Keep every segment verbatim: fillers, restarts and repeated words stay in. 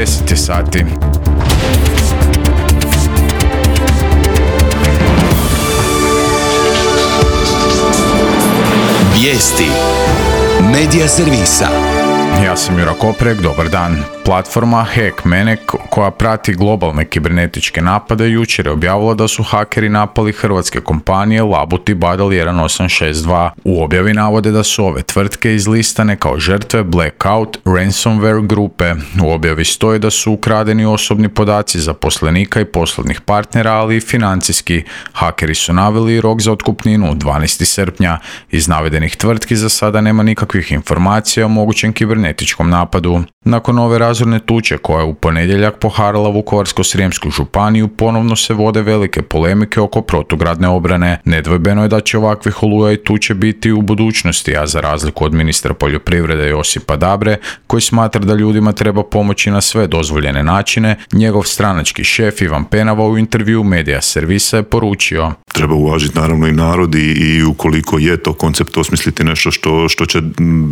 deset je sati. Vijesti Medija servisa. Ja sam Jura Koprek, dobar dan. Platforma Hackmane koja prati globalne kibernetičke napade jučer je objavila da su hakeri napali hrvatske kompanije Labut i Badel jedan osam šest dva. U objavi navode da su ove tvrtke izlistane kao žrtve Blackout ransomware grupe. U objavi stoji da su ukradeni osobni podaci zaposlenika i poslovnih partnera, ali i financijski. Hakeri su naveli rok za otkupninu dvanaestog srpnja. Iz navedenih tvrtki za sada nema nikakvih informacija o mogućem kibernetičkom napadu. Nakon ove razorne tuče koja je u ponedjeljak poharala Vukovarsko-srijemsku županiju, ponovno se vode velike polemike oko protugradne obrane. Nedvojbeno je da će ovakvih oluja i tuče biti u budućnosti, a za razliku od ministra poljoprivrede Josipa Dabre, koji smatra da ljudima treba pomoći na sve dozvoljene načine, njegov stranački šef Ivan Penava u intervju Medija servisa je poručio: treba uvažiti naravno i narod i, i ukoliko je to koncept osmisliti nešto što, što će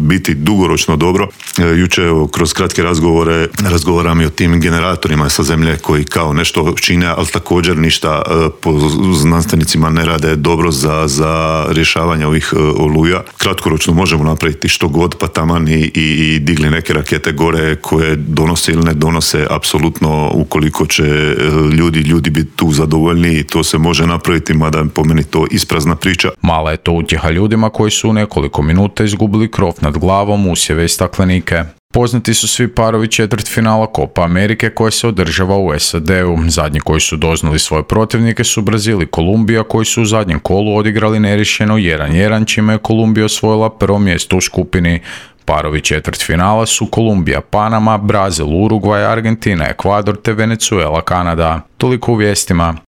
biti dugoročno dobro. E, juče evo, kroz kratke razgovore razgovaram i o tim generatorima sa zemlje koji kao nešto čine, ali također ništa e, po znanstvenicima ne rade dobro za, za rješavanje ovih e, oluja. Kratkoročno možemo napraviti što god, pa taman i, i, i digli neke rakete gore koje donose ili ne donose, apsolutno ukoliko će e, ljudi, ljudi biti tu zadovoljni, to se može napraviti, mada po meni to isprazna priča. Mala je to utjeha ljudima koji su u nekoliko minuta izgubili krov nad glavom, usjeve i staklenike. Poznati su svi parovi četvrtfinala Copa Amerike koje se održava u S A D-u. Zadnji koji su doznali svoje protivnike su Brazil i Kolumbija, koji su u zadnjem kolu odigrali neriješeno jedan jedan, čime je Kolumbija osvojila prvo mjesto u skupini. Parovi četvrtfinala su Kolumbija, Panama, Brazil, Urugvaj, Argentina, Ekvador te Venezuela, Kanada. Toliko u vijestima.